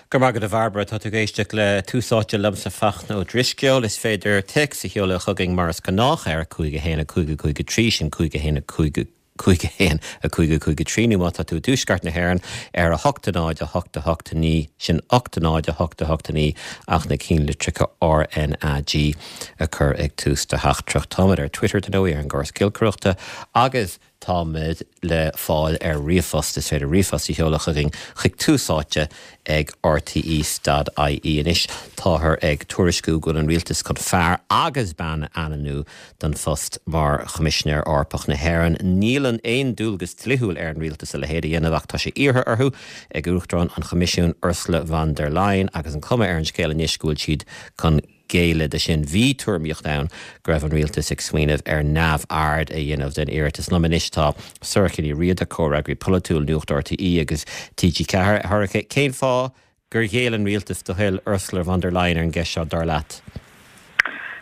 Go raibh maith agat a Bhairbre. Tá tú ag éisteacht le Tús Áite liomsa Fachtna Ó Drisceoil. Is féidir téacs a sheoladh chugainn mar is gnách ar 5 1 5 5 3, sin 5 1 5 5 1 5 5 3, nó má tá tú i dtuaisceart na hÉireann ar 8 0 8 8 9, sin 8 0 8 8 9 ach na cinnlitreacha RnaG a chur ag tús do theachtaireacht. Táimid ar Twitter, dar ndóigh, ar an gcóras giolcaireachta agus. Táimid le fáil ar ríomhphost, is féidir ríomhphost a sheoladh chugainn chuig Tús Áite ag rte dot ie. Anois táthar ag tuairisciú go bhfuil an rialtas chun fear agus bean a ainmniú don phost mar Choimisinéir Eorpach na hÉireann. Níl aon dualgas dlíthiúil ar an rialtas a leithéid a dhéanamh ach tá sé iarrtha orthu ag Uachtarán an Choimisiúin Ursula von der Leyen agus an chuma ar an scéal anois go bhfuil siad chun géilleadh de sin. Bhí tuairimíocht ann go raibh an rialtas ag smaoineamh ar neamhaird a dhéanamh den iarratas. Liom anois tá Sorcha Ní Riada, comhfhreagraí polaitiúil Nuacht RTÉ agus TG4. A Shorcha, cén fáth gur ghéill an rialtas do thoil Ursula von der Leyen ar an gceist seo, dar leat?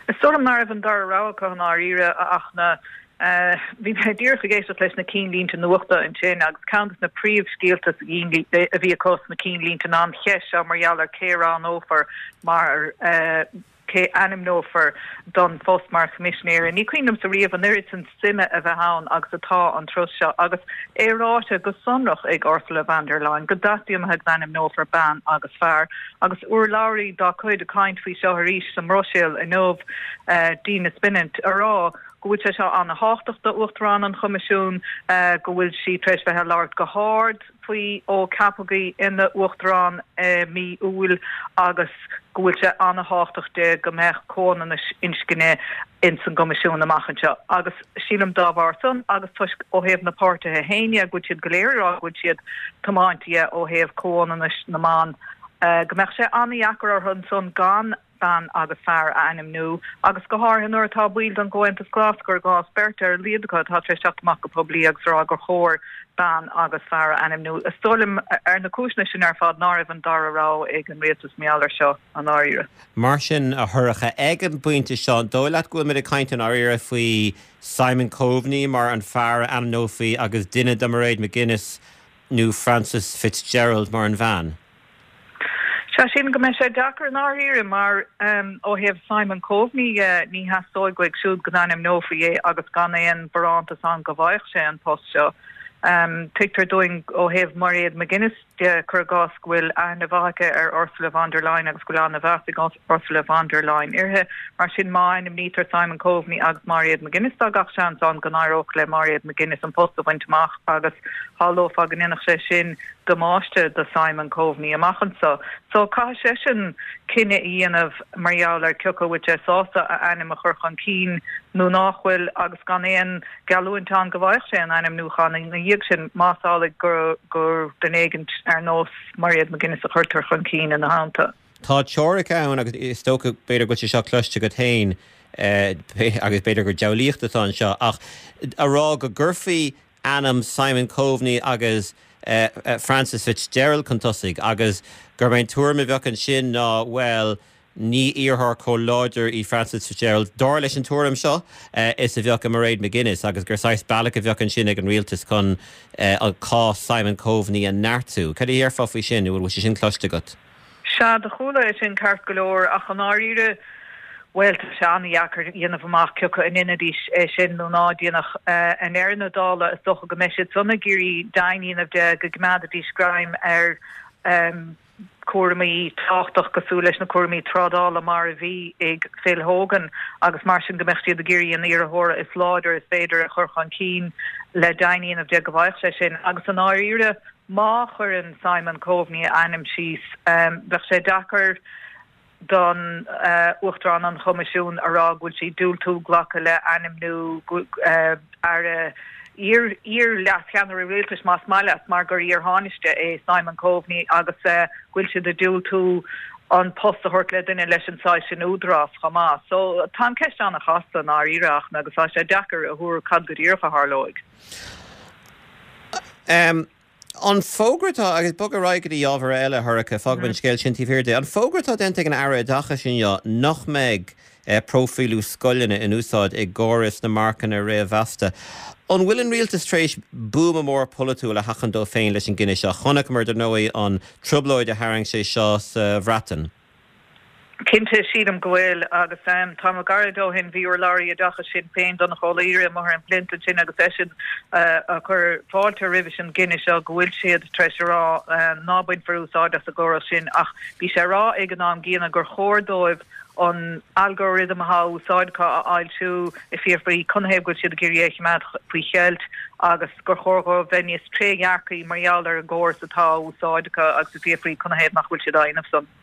Is dóigh liom ná raibh an dara rogha acu i ndáiríre, a Fhachtna. Bhí mé díreach ag éisteacht leis na cinnlínte nuachta ansin agus ceann de na príomhscéalta a bhí acu sna cinnlínte ná an cheist seo mar gheall ar cé a roghnófar mar cé a ainmneofar don phost mar Choimisinéir. Ní cuimhin liomsa riamh an oiread sin suime a bheith ann agus atá an turas seo agus é ráite go sonrach ag Ursula von der Leyen go dteastaíonn uaithi go n-ainmneofar bean agus fear agus urlabhraí dá cuid ag caint faoi seo arís sa mBruiséil inniu, Dina Spinant, a rá go bhfuil sé seo an-thábhachtach d'Uachtarán an Choimisiúin, go bhfuil sí tar éis bheith ag labhairt go hard faoi ó ceapadh í ina Uachtarán i mí Iúil agus go bhfuil sé an-thábhachtach di go mbeadh comhionannas inscne ins an gCoimisiún amach anseo. Agus sílim dá bharr san agus toisc ó thaobh na páirtithe féin dhe go bhfuil siad go léir ag rá go bhfuil siad tiomáinte dhe ó thaobh comhionannais na mban, go mbeadh sé an-dheacair orthu ansan gan bean agus fear a ainmniú, agus go háirithe nuair atá baill den gComhaontas Glas, cuir i gcás, beirt ar a laghad acu atá tar éis teacht amach go poiblí agus a rá gur chóir bean agus fear a ainmniú. Is dóigh liom, ar na cúiseanna sin ar fad, ná raibh an dara rogha ag an rialtas mar gheall air seo, i ndáiríre. Mar sin, a Shorcha, ag an bpointe seo, an dóigh leat go bhfuil muid ag caint i ndáiríre faoi Simon Coveney mar an fear a ainmneofaí agus duine de Mairead McGuinness nó Frances Fitzgerald mar an bhean? Sea, sílim go mbeidh sé deacair i ndáiríre mar ó thaobh Simon Coveney dhe, ní theastóidh uaidh siúd go n-ainmneofaí é agus gan aon bharántas ann go bhfaigheadh sé an post seo. Tuigtear dúinn ó thaobh Mairéad McGuinness de, cuir i gcás, go bhfuil aithne mhaith aici ar Ursula von der Leyen agus go bhfuil an-mheas ag Ursula von der Leyen uirthi. Mar sin, má ainmnítear Simon Coveney agus Mairéad McGuinness, tá gach seans ann go n-éireodh le Mairéad McGuinness an post a bhaint amach agus shamhlófá go ndéanfadh sé sin damáiste do Simon Coveney amach anso. So caithfidh seisean cinneadh a dhéanamh mar gheall ar cioca bhfuil sé sásta a ainm a chur chun cinn nó nách bhfuil agus gan aon gheallúint ann go bhfaigheadh sé an ainmniúchán ina dhiaidh sin más amhlaidh gur gur duine éigint ar nós Mairéad McGuinness a chuirtear chun cinn ina theannta. Tá teoiric ann agus is dócha b'fhéidir go bhfuil sé seo cloiste agat féin agus b'fhéidir gur diabhlaíocht atá anseo ach a rá go gcuirfí ainm Simon Coveney agus Frances Fitzgerald chun tosaigh agus gurb é an tuairim a bheadh ansin ná, bhuel, ní iarrthóir chomh láidir í Frances Fitzgerald, dar leis an tuairim seo, is a bheadh i Mairead McGuinness agus gur saghas bealach a bheadh ansin ag an rialtas chun cás Simon Coveney a neartú. Cad a déarfá faoi sin, nó an bhfuil sé sin cloiste agat? Sea, do chuala é sin ceart go leor, ach i ndáiríre, bhuel, tá sé an-dheacair a dhéanamh amach cioca a ndéanfaidís é sin nó ná déanfadh. I ndeireadh na dála, is dócha go mbeidh siad san ag iarraidh deimhin a dhéanamh de go gcoimeádfaidís greim ar chúramaí tábhachtach cosúil leis na cúramaí trádála mar a bhí ag Phil Hogan agus mar sin go mbeadh siad ag iarraidh an iarrthóra is láidir is féidir a chur chun cinn le deimhin a dhéanamh de go bhfaigheadh sé sin. Agus i ndáiríre, Má chuireann Simon Coveney a ainm síos, bheadh sé deacair don Uachtarán an Choimisiúin a rá go bhfuil sí ag diúltú glacadh le ainmniú aire, iar-leascheannaire rialtais más maith leat, mar gur iar-Thánaiste é Simon Coveney agus go bhfuil siad ag diúltú an post a thabhairt le duine leis an saghas sin údarás chomh maith. So tá an ceist an-chasta i ndáiríre ach agus tá sé deacair a thuar cad go díreach a tharlóidh. An fógra atá, agus bog ar aghaidh go dtí ábhar eile, a Shorcha, fágfaidh an scéal sin taobh thiar de. An fógra atá déanta ag an Aire Oideachais inniu nach mbeidh próifíliú scoileanna in úsáid i gcóras na marcanna réamh-mheasta. An bhfuil an rialtas tar éis buama mór polaitiúil a sheachaint dó féin leis an gcinneadh seo? Chonaiceamar, dar ndóigh, an trioblóid a tharraing sé seo sa Bhreatain. Cinnte, sílim go bhfuil, agus tamall gairid ó shin bhí urlabhraí oideachais Shinn Féin, Donnchadh Ó Laoghaire, amuigh ar an bplint ansin agus eisean ag cur fáilte roimhis an gcinneadh seo go bhfuil siad tar éis a rá ná bainfear úsáid as an gcóras sin ach bhí sé a rá ag an am gcéanna gur chóir dóibh an algorithm atá á úsáid acu a fhoilsiú ag fiafraí canathaobh go bhfuil siad ag iarraidh é a choimeád faoi cheilt agus gur chóir dhóibh bheith níos trédhearcaí mar gheall ar an gcóras atá á úsáid acu agus ag fiafraí canathaobh nach bhfuil siad á dhéanamh san.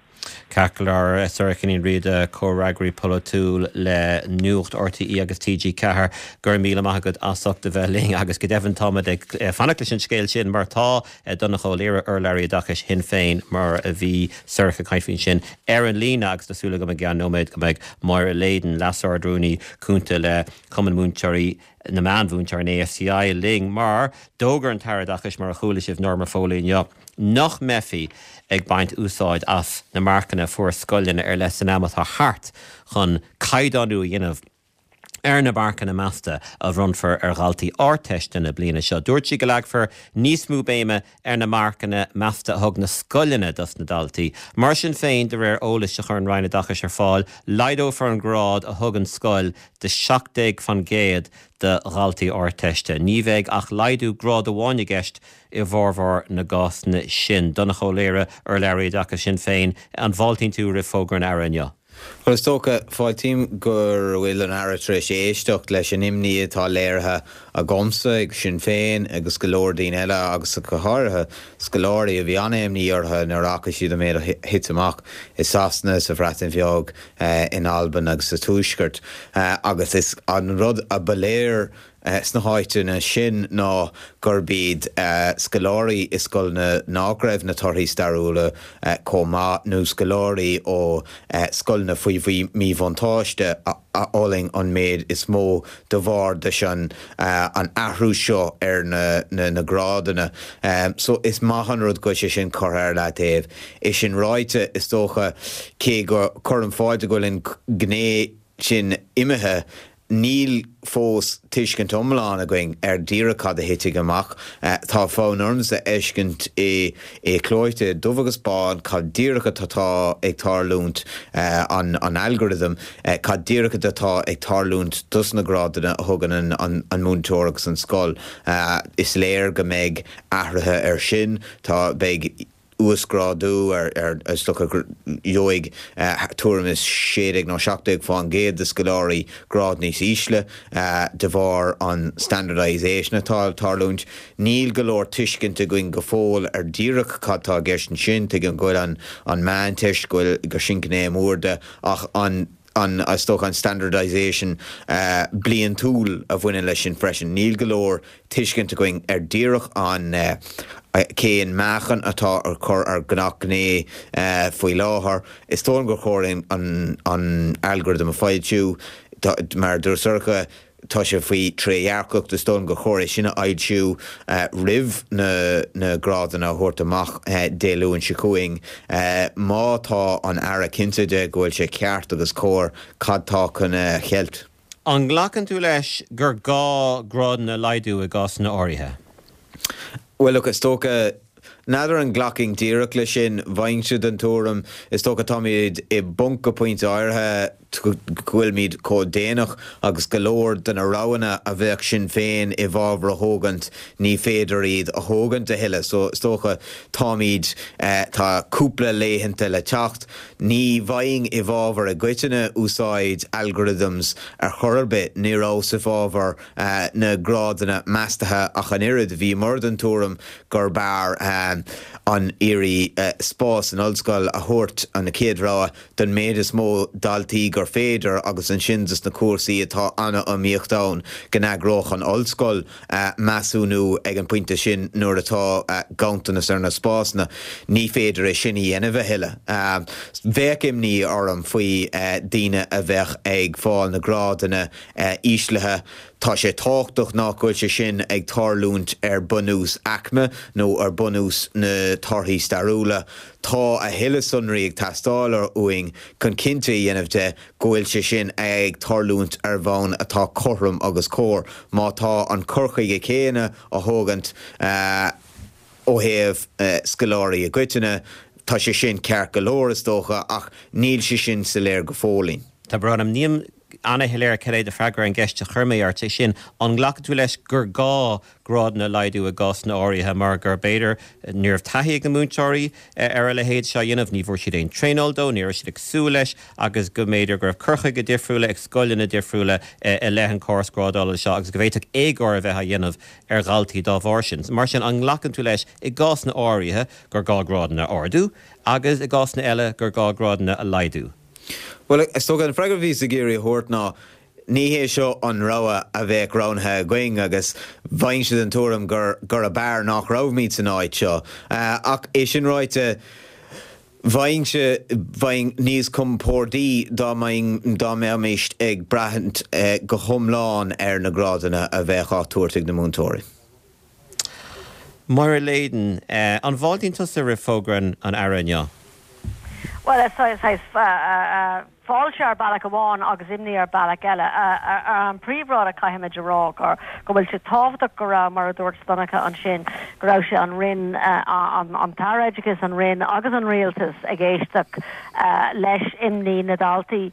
Ceart go leor, Sorcha Ní Riada, comhfhreagraí polaitiúil le Nuacht RTÉ agus TG4, go raibh míle maith agat as ucht a bheith linn agus go deimhin táimid ag fanacht leis an scéal sin mar tá Donnchadh Ó Laoghaire, urlabhraí oideachais Shinn Féin, mar a bhí Sorcha ag caint faoi ansin, ar an líne agus tá súil agam i gceann nóiméad go mbeidh Máire Leyden, Leas-Ard-Rúnaí Cúnta le Cumann Múinteoirí na Meánmhúinteoirí, an AFCI, linn mar d'fhógair an tAire Oideachais, mar a chuala sibh, Norma Foley inniu, nach mbeifí ag baint úsáid as na marcanna a fuair scoileanna ar leith san am atá thart chun caighdeánú a dhéanamh ar na marcanna measta a bhronnfar ar dhaltaí Ardteiste na bliana seo. Dúirt sí go leagfar níos mó béime ar na marcanna measta a thug na scoileanna dos na daltaí. Mar sin féin, de réir eolais a chuir an Roinn Oideachais ar fáil, laghdófar an grád a thugann scoil de 17% do dhaltaí Ardteiste. Ní bheidh ach laghdú grád amháin i gceist i bhformhór na gcásanna sin. Donnchadh Ó Laoghaire, urlabhraí Oideachais Shinn Féin, an bhfáiltíonn tú roimh fógra an Aire inniu? Bhuel, is dócha, fáiltím go bhfuil an Aire tar éis éisteacht leis an imní atá léirithe agamsa, ag Sinn Féin agus go leor daoine eile agus go háirithe scoláirí a bhí an-imní orthu nuair a fhaca siad an méid a thit amach i Sasana, sa Bhreatain Bheag, in Albain agus sa Tuaisceart. Agus is an rud a ba léir sna háiteanna sin ná gurb iad scoláirí i scoileanna nach raibh na torthaí stairiúla chomh maith nó scoláirí ó scoileanna faoi mhíbhuntáiste a fhulaing an méid is mó de bharr leis an athrú seo ar na grádanna. So is maith an rud go bhfuil sé sin curtha ar leataobh. É sin ráite, is dócha, cé go cuirim fáilte go bhfuil an ghné sin imithe, Níl fós tuiscint iomlán againn ar díreach cad a thitfidh amach. Tá fonn ormsa a fheiscint é clóite, dubh agus bán, cad díreach atá ag tarlúint, an algorithm, cad díreach atá ag tarlúint dos na grádanna a thugann an múinteoir agus an scoil. Is léir go mbeidh athruithe ar sin. Tá, beidh. uasghrádú ar, is dócha go gheobhaidh tuairim is 16 nó 17 fán gcéad de scoláirí grád níos ísle de bharr an standardisation atá ag tarlúint. Níl go leor tuiscint againn go fóill ar díreach cad tá i gceist ansin. Tuigim go bhfuil an meánteist, go bhfuil, gur sin gné mór de ach an, an, is dócha an standardisation bliantúil a bhaineann leis sin freisin. Níl go leor tuiscint againn ar díreach an cén meáchan atá ar cur ar gach gné faoi láthair. Is dóigh liom gur chóir an an algorithm a foilsiú. Mar a dúirt Sorcha, tá sé faoi trédhearcacht. Is dóigh liom gur chóir é sin a fhoilsiú roimh na na grádanna a thabhairt amach Dé Luain seo chugainn. Má tá an Aire cinnte de go bhfuil sé ceart agus cóir, cad tá chun a cheilt? An nglacann tú leis gur gá grádanna a laghdú i gcásanna áirithe? Bhuel, look, is dócha, n'fheadar an nglacfainn díreach leis sin, bheinnse den tuairim, is dócha táimid i bponc go pointe áirithe go bhfuilimid chomh déanach agus go leor de na roghanna a bheadh Sinn Féin i bhfabhar a thógaint, ní féidir iad a thógaint a thuilleadh. So, is dócha, táimid, tá cúpla laethanta le teacht. Ní bheinn i bhfabhar i gcoitinne úsáid algorithms ar chor ar bith, ní rabhas i bhfabhar na grádanna meastaithe ach an oiread. Bhíomar den tuairim gurb fhearr an iarraidh spás san ollscoil a thabhairt, an chéad rogha, don méid is mó daltaí gur féidir agus ansin dos na cúrsaí atá an-iomaíocht ann go n-eagródh an ollscoil measúnú ag an bpointe sin nuair atá ganntanas ar na spásanna. Ní féidir é sin a dhéanamh a thuilleadh. Bheadh imní orm faoi daoine a bheadh ag fáil na grádanna íslithe. Tá sé tábhachtach nach bhfuil sé sin ag tarlúint ar bunús aicme nó ar bunús na torthaí stairiúla. Tá a thuilleadh sonraí ag teastáil uainn chun cinnte a dhéanamh de go bhfuil sé sin ag tarlúint ar bhonn atá cothrom agus cóir. Má tá an cur chuige céanna á thógaint ó thaobh scoláirí i gcoitinne, tá sé sin ceart go leor is dócha ach níl sé sin soiléir go fóillín. Tá brón orm, nílim ana-shoiléir cad é do freagra ar an gceist a chuir mé ort, sé sin, an nglacann tú leis gur gá grádanna a laghdú i gcásanna áirithe mar gur b'fhéidir ní raibh taithí ag na múinteoirí ar a leithéid seo a dhéanamh, ní bhfuair siad aon traenáil dó, ní raibh siad ag súil leis agus go mb'fhéidir go raibh cur chuige difriúla ag scoileanna difriúla i leith an córas grádála seo agus go bhféadfadh éagóir a bheith á dhéanamh ar dhaltaí dá bharr sin. Mar sin, an nglacann tú leis i gcásanna áirithe gur gá grádanna a ardú agus i gcásanna eile gur gá grádanna a laghdú? Bhuel, is dócha, an freagra a bhíos ag iarraidh a thabhairt ná, ní hé seo an rogha a bheadh roghnaithe againn agus bheinnse den tuairim gur gurb fhearr nach raibhimid san áit seo. Ach é sin ráite, bheinnse, bheinn níos compórdaí dá mbeinn, dá mbeimis ag brath go hiomlán ar na grádanna a bheadh á dtabhairt ag na múinteoirí. Máire Leyden, An bhfáiltíonn tusa roimh fógra an Aire inniu? Bhuel, is saghas fáilte ar bealach amháin agus imní ar bealach eile. An príomhrud a chaithfimid a rá gur go bhfuil sé tábhachtach go raibh, mar a dúirt Donncha ansin, go raibh sé an Roinn, an tAire Oideachais, an Roinn agus an Rialtas ag éisteacht leis imní na ndaltaí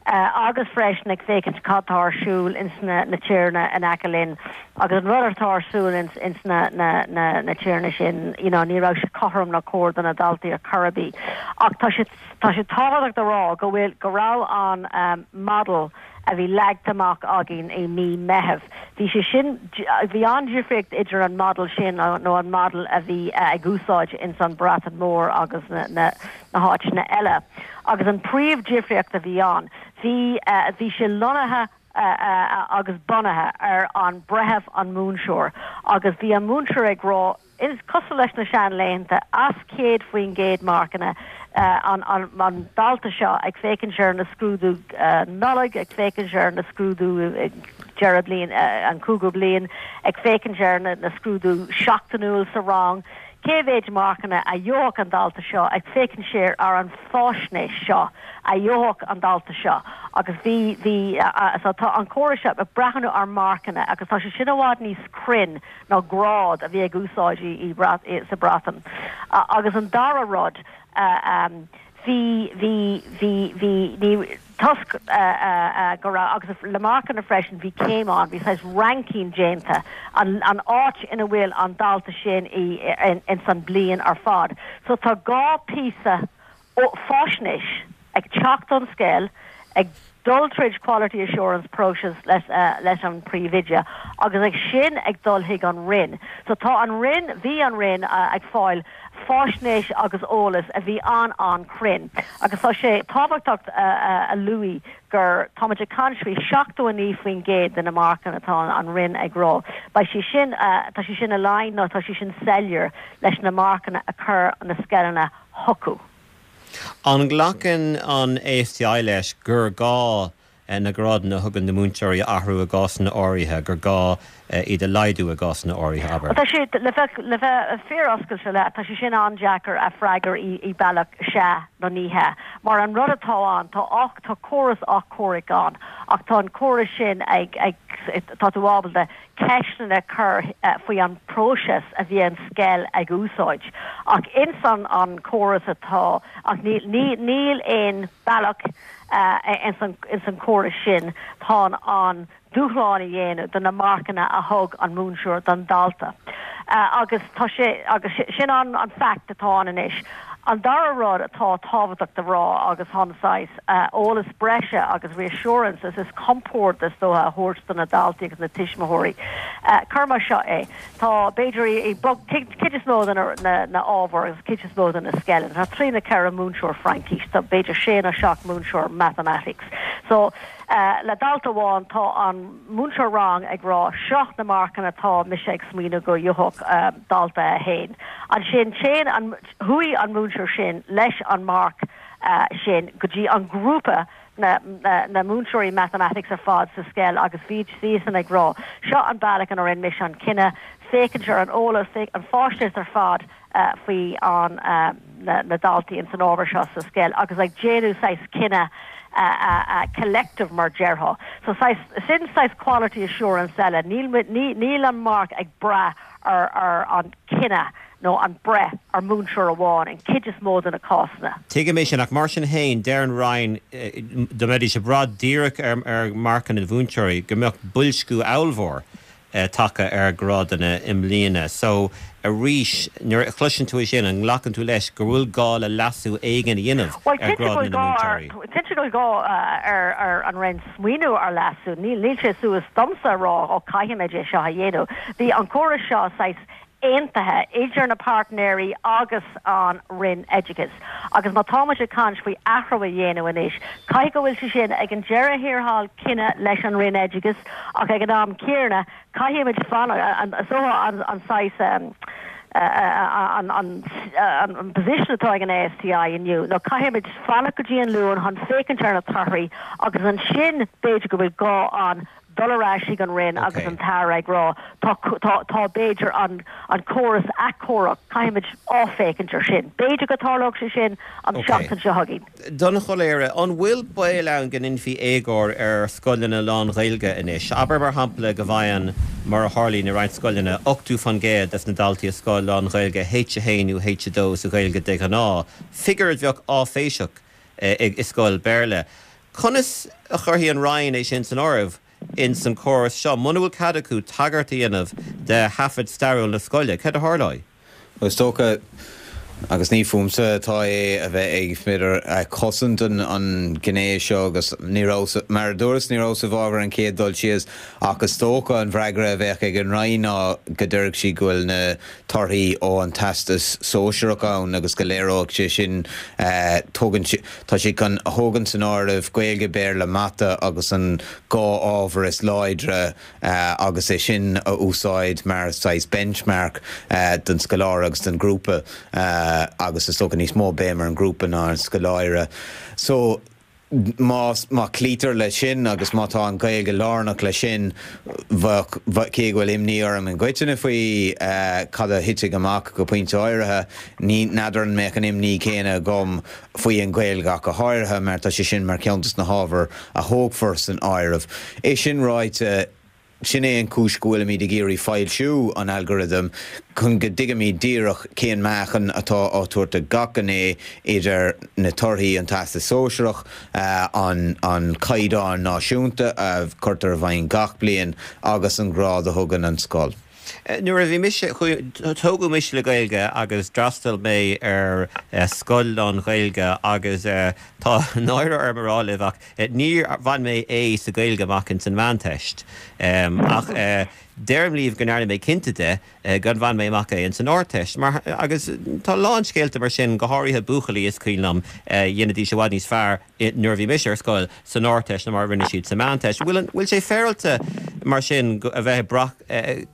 agus freisin ag féachaint cad tá ar siúl ins na tíortha in aice linn. Agus an rud atá ar siúl ins ins na na na na tíortha sin, you know, ní raibh sé cothrom ná cóir do na daltaí ar chor ar bith. Ach tá sé tá sé tábhachtach do rá go bhfuil go raibh an um model a bhí leagtha amach againn i mí Meitheamh, bhí sé sin bhí an-difríocht idir an model sin nó an model a bhí ag úsáid ins an Breatain Mhór agus na na na háiteanna eile. Agus an príomh-difríocht a bhí ann, bhí bhí sé lonnaithe agus bunaithe ar an breitheamh an múinteoir agus bhí an múinteoir ag rá, is cosúil leis na seanlaethanta, as 100% marcanna an an dalta seo ag féachaint ar na scrúdú Nollag, ag féachaint ar na scrúdú deireadh bliain, an cúigiú bliain, ag féachaint ar na scrúdú seachtainiúil sa rang, cé mhéid marcanna a gheobhadh an dalta seo ag féachaint siar ar an fáisnéis seo a gheobhadh an dalta seo agus bhí, bhí, so tá an córas seo ag breathnú ar marcanna agus tá sé sin i bhfad níos cruinn ná grád a bhí ag úsáid i, i, sa Breatain. Agus an dara rud, bhí, bhí, bhí, bhí, ní, toisc go raibh, agus le marcanna freisin, bhí céim ann, bhí saghas ranking déanta, an áit ina bhfuil an dalta sin ins an bliain ar fad. So tá dhá píosa fáisnéis ag teacht ón scoil, ag dul tríd quality assurance process leis an príomhoide agus ag sin ag dul chuig an Roinn. So tá an Roinn, bhí an Roinn ag fáil faisnéis agus eolas a bhí an-an-chruinn agus tá sé tábhachtach a luaigh gur táimid ag caint faoi 79% de na marcanna atá an Roinn ag rá. Beidh sé sin, tá sé sin aligned nó tá sé sin soiléir leis na marcanna a chuir na scoileanna chucu. An nglacann an ASTI leis gur gá na grádanna a thugann na múinteoirí a athrú i gcásanna áirithe, gur gá iad a laghdú i gcásanna áirithe, abair. Tá sé, le bheith, le bheith fíor-oscailte leat, tá sé sin an-deacair a freagar i, i bealach sea nó ní hea. Mar an rud atá ann, tá ach, tá córas achomhairc ann, ach tá an córas sin ag, ag, tá tú ábalta ceisteanna a chur faoi an próiseas a bhí an scoil ag úsáid. Ach ins an, an córas atá, ach níl, ní, níl aon bealach, ins an córas sin tá an dúshlán a dhéanamh do na marcanna a thug an múinteoir don dalta. Agus tá sé, agus sin an an fact atá ann anois. An dara rud atá tábhachtach do rá agus chun saghas eolas breise agus reassurance is compord is dócha a thabhairt do na daltaí agus na tuismitheoirí. Cuir mar seo é. Tá, b'fhéidir, i gcuid is mó de na ábhair agus cuid is mó de na scoileanna, tá trí nó ceithre múinteoir Fraincís, tá b'fhéidir sé nó seacht múinteoir Mathematics. So, le dalta amháin, tá an múinteoir rang ag rá, seo na marcanna atá mise ag smaoineamh go gheobhadh dalta a haon. Ansin, téann an, chuaigh an múinteoir sin leis an marc. sin go dtí an grúpa na na múinteoirí mathematics ar fad sa scoil agus bhí siadsan ag rá seo an bealach ina rinne mise an cinneadh féachaint ar an eolas, an fáisnéis ar fad faoi an na daltaí ins an ábhar seo sa scoil agus ag déanamh saghas cinneadh collective mar déarfá. So saghas, sin saghas quality assurance eile, níl níl an marc ag brath ar ar an cinneadh nó an breith ar múinteoir amháin in cuid is mó de na cásanna. Tuigim é sin, ach mar sin féin, deir an Roinn, dá mbeidís ag brath díreach ar ar marcanna na mhúinteoirí, go mbeadh boilsciú ollmhór tagtha ar ghrádanna i mbliana. So, arís, nuair a chloiseann tú é sin, an nglacann tú leis go bhfuil gá le leasú éigin a dhéanamh Bhuel, ar cinnte go ghrádanna bhfuil na gá ar, múinteoirí? cinnte go bhfuil gá ar ar an Roinn smaoineamh ar leasú. Níl, níl sé suas domsa a rá, ó caithfimid é seo a dhéanamh. Bhí an córas seo saghas aontaithe idir na páirtnéirí agus an Roinn Oideachais. Agus má tá muid ag caint faoi athrú a dhéanamh anois, caithfidh go bhfuil sé sin ag an deireadh thiar thall cinneadh leis an Roinn Oideachais ach ag an am céanna caithfidh muid fanacht, is dócha an saghas an an position atá ag an ASTI inniu nó caithfidh muid fanacht go dtí an Luan chun féachaint ar na torthaí agus ansin b'fhéidir go bhfuil gá ann dul ar ais chuig an Roinn agus an tAire ag rá tá, tá, tá b'fhéidir an, an córas athchóirithe, caithfimid athfhéachaint ar sin. B'fhéidir go dtarlódh sé sin an tseachtain seo chugainn. Donncha Ó Laoghaire, an bhfuil baol ann go ndéanfaí éagóir ar scoileanna lán-Ghaeilge anois? Abair mar shampla go bhfaigheann, mar a tharlaíonn i roinnt scoileanna, 80% des na daltaí i scoil lán-Ghaeilge H1 nó H2 sa Ghaeilge de ghnáth, figiúr a bheadh áiféiseach i scoil Béarla. Conas a chuirfidh an Roinn é sin san áireamh ins an córas seo? Muna bhfuil cead acu tagairt a dhéanamh de thaifead stairiúil na scoile, céard a tharlóidh? Bhuel, is dócha, agus ní fúmsa atá é a bheith ag, b'fhéidir, cosaint an ghné seo agus ní rabhas, mar a dúras, ní rabhas i bhfabhar an chéad dul síos ach is dócha an bhfreagra a bheadh ag an Roinn ná go déarfadh siad go bhfuil na torthaí ó an Teastas Sóisearach ann agus go léireoidh sé sin, tugann sé. Tá siad chun a thógaint san áireamh Gaeilge, Béarla, Mata agus an dhá ábhar is láidre agus é sin a úsáid mar saghas benchmark don scoláire agus don ghrúpa agus is dócha níos mó béim ar an ghrúpa ná ar an scoláire. So má má cloítear leis sin agus má tá an Ghaeilge lárnach leis sin, bheadh, cé go bhfuil imní orm i gcoitinne faoi cad a thitfidh amach go pointe áirithe, ní n'fheadar an mbeadh an imní céanna agam faoi an Ghaeilge ach go háirithe mar tá sé sin mar cheann des na hábhair a thógfar san áireamh. É sin ráite, sin é an chúis go bhfuilimid ag iarraidh foilsiú an algorithm chun go dtuigfimid díreach cén meáchan atá á tabhairt do gach gné idir na torthaí an Teastas Sóisearach, an an caighdeán náisiúnta a chuirtear i bhfeidhm gach bliain agus an grád a thugann an scoil. Nuair a bhí mise, tógadh mise le Gaeilge agus d'fhreastail mé ar scoil lán-Ghaeilge agus tá náire orm a rá libh ach níor bhain mé A sa Ghaeilge amach ins an Mheánteist. Ach deirim libh go ndearna mé cinnte de gur bhain mé amach é ins an Ardteist. Mar, agus tá a lán scéalta mar sin, go háirithe buachaillí is cuimhin liom, dhéanaidís i bhfad níos fearr nuair a bhí mise ar scoil san Ardteist ná mar a rinne siad sa Mheánteist. Bhfuil an, bhfuil sé féaráilte mar sin go, a bheith ag brath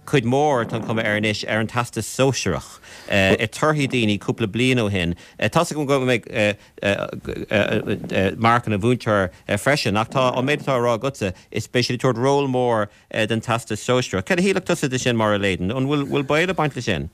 cuid mhór, tá an chuma air anois, ar an Teastas Sóisearach i torthaí daoine cúpla bliain ó shin? Tá's agam go mbeidh marc an mhúinteora freisin ach tá an méid atá á rá agatsa, is beidh siad ag tabhairt ról mór don Teastas Sóisearach. Cad a shílfeadh tusa de sin, Máire Leyden? An bhfuil, bhfuil baol ag baint leis sin?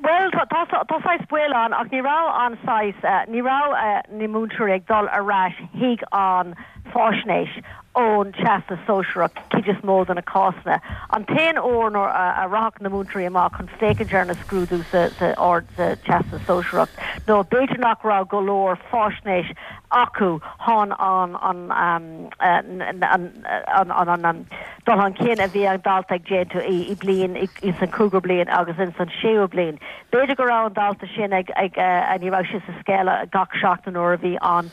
Bhuel, tá, tá saghas baol ann ach ní raibh an saghas, ní raibh na múinteoirí ag dul ar ais chuig an fáisnéis ón Teastas Sóisearach cuid is mó de na cásanna. An t-aon uair nuair a rachadh na múinteoirí amach chun féachaint ar na scrúdú sa, sa ard, sa Teastas Sóisearach nó b'fhéidir nach raibh go leor fáisnéis acu chun an, an, an, an, an, an, dul chun cinn a bhí an dalta ag déanamh i bliain, ins an cúigiú bliain agus ins an séú bliain. B'fhéidir go raibh an dalta sin ag, ag, ní raibh sé sa scoil gach seachtain nuair a bhí an,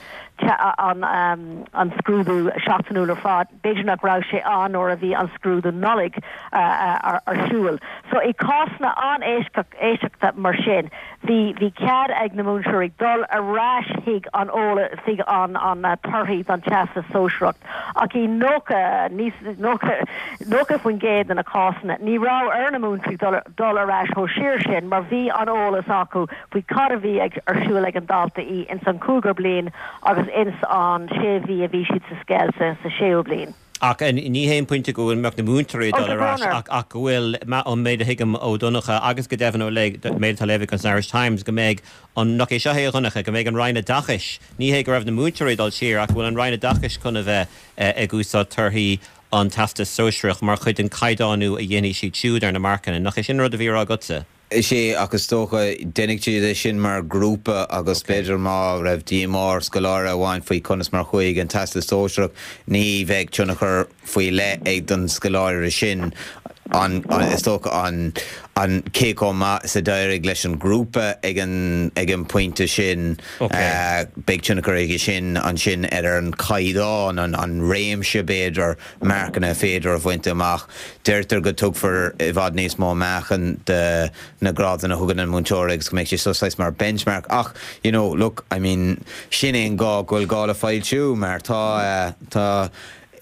an, an scrúdú seachtainiúil. siúl ar fad, b'fhéidir nach raibh sé ann nuair a bhí an scrúdú Nollag ar siúl. So i cásanna an-eisceachta mar sin, bhí bhí cead ag na múinteoirí dul ar ais chuig an eolas, chuig an an torthaí don Teastas Sóisearach ach i 90, níos, 90, 90% de na cásanna, ní raibh ar na múinteoirí dul dul ar ais chomh siar sin mar bhí an eolas acu faoi cad a bhí ag ar siúl ag an dalta í ins an cúigiú bliain agus ins an sé mhí a bhí siad sa scoil sa sa séú bliain. Ach ní hé an pointe go bhfuil mbeadh na múinteoirí ag dul ar ais ach ach go bhfuil, ón méid a thuigim ó Dhonncha agus go deimhin ó méid atá léite agam san Irish Times, go mbeidh an, nach é seo é a Dhonncha, go mbeidh an Roinn Oideachais, ní hé go raibh na múinteoirí ag dul siar ach go bhfuil an Roinn Oideachais chun a bheith ag úsáid torthaí an Teastais Sóisearach mar chuid den caighdeánú a dhéanfaidh siad siúd ar na marcanna. Nach é sin an rud a bhí á rá agatsa? Is ea, ach is dócha, déanfaidh siad é sin mar ghrúpa agus b'fhéidir má raibh díomá ar scoláire amháin faoi conas mar chuaigh an Teastas Sóisearach, ní bheidh tionchar faoi leith ag don scoláire sin an, is dócha, an, an cé chomh maith is a d'éirigh leis an ghrúpa ag an, ag an bpointe sin. Beidh tionchar aige sin ansin ar an chaighdeán, an, an réimse b'fhéidir. marcanna féidir a bhaint amach. Deirtear go dtugfar i bhfad níos mó meáchan do na grádanna a thugann an múinteoir agus go mbeidh sé seo saghas mar benchmark ach you know look I mean sin é an gá go bhfuil gá le foilsiú mar tá tá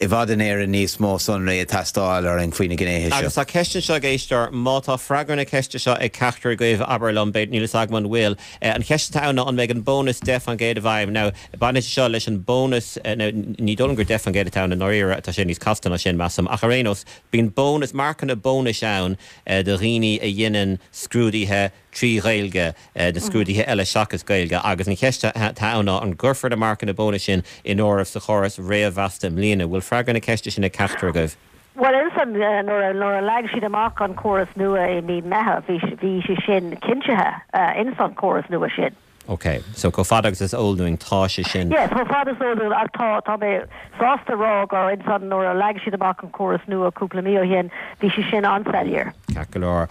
i bhfad in Éirinn níos mó sonraí ag teastáil orainn faoi na gnéithe seo. Agus tá ceist anseo ag éisteoir, má tá freagra na ceiste seo ag ceachtar agaibh, abair liom, b'fhéidir, níl fhios agam an bhfuil. An cheist atá ann ná an mbeidh an bónas 10% i bhfeidhm. Now, Baineann sé seo leis an bónas, now ní dóigh liom gur 10% atá ann i ndáiríre, tá sé níos casta ná sin, measaim, ach ar aon nós, bíonn bónas, marcanna bónais ann do dhaoine a dhéanann scrúduithe trí Ghaeilge, na scrúduithe eile seachas Gaeilge, agus an cheist atá ann ná an gcuirfear na marcanna bónais sin in áireamh sa chóras réamh-mheasta i mbliana? Bhfuil freagra na ceiste sin ag ceachtar agaibh? Bhuel, ansan, nuair a leag siad amach an córas nua i mí Meitheamh, bhí sé sin cinntithe ins an córas nua sin. Ok, so chomh fada agus is eol dúinn tá sé sin. Yes, chomh fada is eol dúinn ach tá, tá mé sásta rá gur ansan nuair a leag siad amach an córas nua cúpla mí ó shin, bhí sé sin an-soiléir. Ceart go leor.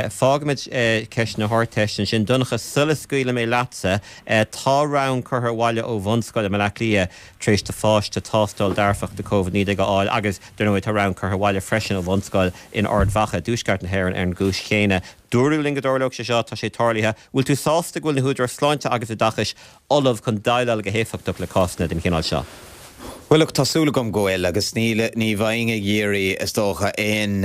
Fágfaimid ceist na hArdteiste ansin. Donncha, sula scaoilfidh mé leatsa, tá rang curtha abhaile ó bhunscoil i mBaile Átha Cliath tar éis do pháiste tástáil dearfach do Covid-19 a fháil agus, dar ndóigh, tá rang curtha abhaile freisin ó bhunscoil in Ard Mhacha, i dtuaisceart na hÉireann, ar an gcúis chéanna. Dúradh linn go dtarlódh sé seo, tá sé tarlaithe. Bhfuil tú sásta go bhfuil na húdaráis sláinte agus oideachais ullamh chun déileáil go héifeachtach le cásanna den chineál seo? Bhuel, look, tá súil agam go bhfuil, agus níl, ní bheinn ag iarraidh, is dócha, aon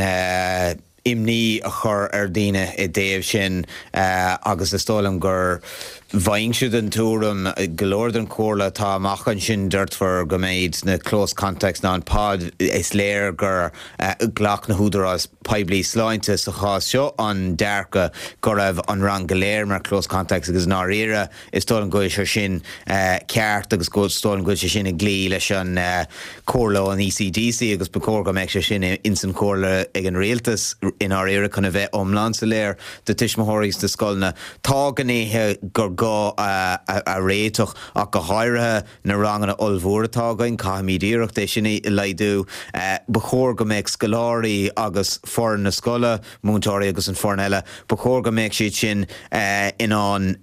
imní a chur ar dhaoine i dtaobh sin agus is dóigh liom gur bheinnse den tuairim, go leor den chomhairle atá amach ansin, deirtear go mbeidh na close contacts ná an pod, is léir gur Ghlac na húdaráis poiblí sláinte sa chás seo an dearcadh go raibh an rang go léir mar close contacts agus i ndáiríre is dóigh liom go bhfuil sé sin ceart agus is dóigh liom go bhfuil sé sin ag cloí leis an chomhairle ón ECDC agus ba chóir go mbeadh sé sin ins an chomhairle ag an rialtas i ndáiríre chun a bheith iomlán soiléir do tuismitheoirí is do scoileanna. Tá gnéithe gur gá a réiteach ach go háirithe Na ranganna ollmhóra atá againn, caithfimid iarracht é sin a laghdú. Ba chóir go mbeadh scoláirí agus foireann na scoile, múinteoirí agus an foireann eile, ba chóir go mbeadh siad sin in ann